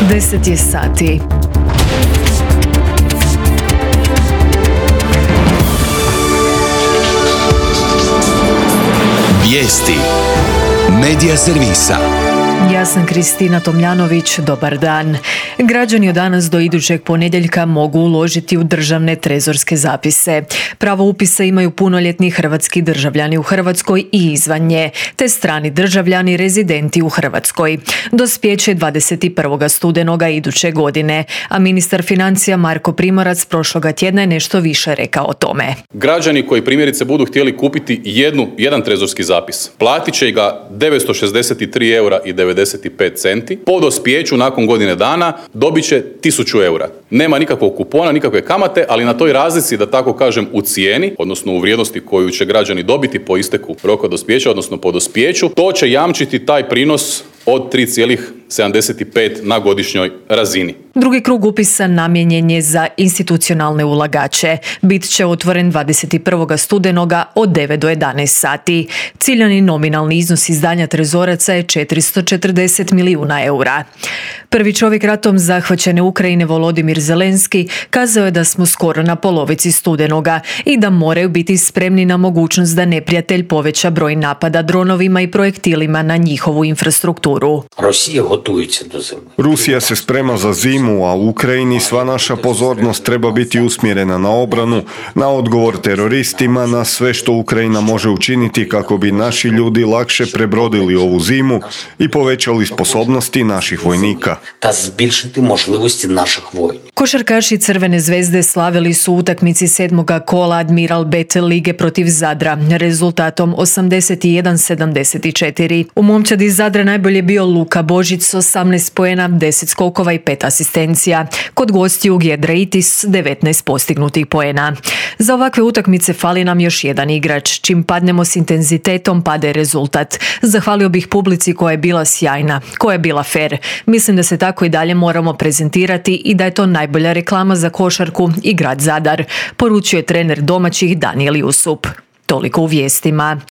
10 je sati. Vijesti Medija servisa. Ja sam Kristina Tomljanović, dobar dan. Građani od danas do idućeg ponedjeljka mogu uložiti u državne trezorske zapise. Pravo upisa imaju punoljetni hrvatski državljani u Hrvatskoj i izvan nje, te strani državljani rezidenti u Hrvatskoj. Dospijeće 21. studenoga iduće godine, a ministar financija Marko Primorac prošloga tjedna je nešto više rekao o tome. Građani koji primjerice budu htjeli kupiti jedan trezorski zapis, platit će ga 963 eura i 95 centi. Po dospijeću nakon godine dana dobit će 1000 eura. Nema nikakvog kupona, nikakve kamate, ali na toj razlici, da tako kažem, u cijeni, odnosno u vrijednosti koju će građani dobiti po isteku roka dospijeća, odnosno po dospijeću, to će jamčiti taj prinos od 3,75 na godišnjoj razini. Drugi krug upisa namijenjen je za institucionalne ulagače. Bit će otvoren 21. studenoga od 9 do 11 sati. Ciljani nominalni iznos izdanja trezoraca je 440 milijuna eura. Prvi čovjek ratom zahvaćene Ukrajine Volodimir Zelenski kazao je da smo skoro na polovici studenoga i da moraju biti spremni na mogućnost da neprijatelj poveća broj napada dronovima i projektilima na njihovu infrastrukturu. Rusija se sprema za zimu, a u Ukrajini sva naša pozornost treba biti usmjerena na obranu, na odgovor teroristima, na sve što Ukrajina može učiniti kako bi naši ljudi lakše prebrodili ovu zimu i povećali sposobnosti naših vojnika. Košarkaši Crvene zvezde slavili su utakmici 7. kola Admiral Bet lige protiv Zadra rezultatom 81-74. U momčadi iz Zadra najbolje bio Luka Božić s 18 poena, 10 skokova i 5 asistencija. Kod gostiju Giedraitis 19 postignutih poena. Za ovakve utakmice fali nam još jedan igrač. Čim padnemo s intenzitetom, pade rezultat. Zahvalio bih publici koja je bila sjajna, koja je bila fer. Mislim da se tako i dalje moramo prezentirati i da je to najbolja reklama za košarku i grad Zadar, poručio je trener domaćih Danijel Jusup. Toliko u vijestima.